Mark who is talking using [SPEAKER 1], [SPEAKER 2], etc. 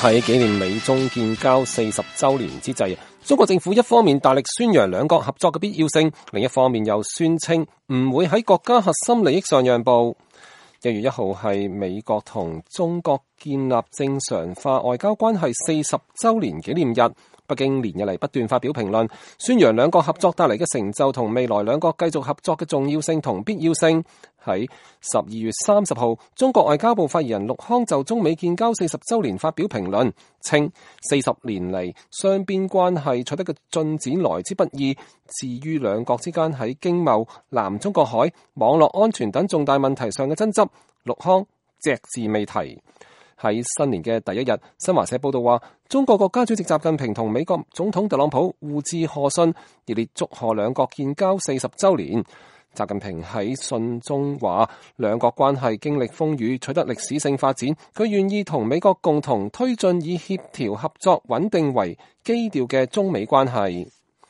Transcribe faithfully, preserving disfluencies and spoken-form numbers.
[SPEAKER 1] 喺紀念美中建交四十週年之際，中國政府一方面大力宣揚兩國合作嘅必要性，另一方面又宣稱唔會喺國家核心利益上讓步。一月一號係美國同中國建立正常化外交關係四十週年紀念日。北京連日嚟不斷發表評論，宣揚兩國合作帶嚟嘅成就同未來兩國繼續合作嘅重要性同必要性。喺十二月三十號，中國外交部發言人陸康就中美建交四十週年發表評論，稱四十年嚟雙邊關係取得嘅進展來之不易。至於兩國之間喺經貿、南中國海、網絡安全等重大問題上嘅爭執，陸康隻字未提。喺新年嘅第一日，新華社報道話，中國國家主席習近平同美國總統特朗普互致賀信，熱烈祝賀兩國建交四十週年。習近平喺信中話，兩國關係經歷風雨，取得歷史性發展，佢願意同美國共同推進以協調合作穩定為基調嘅中美關係。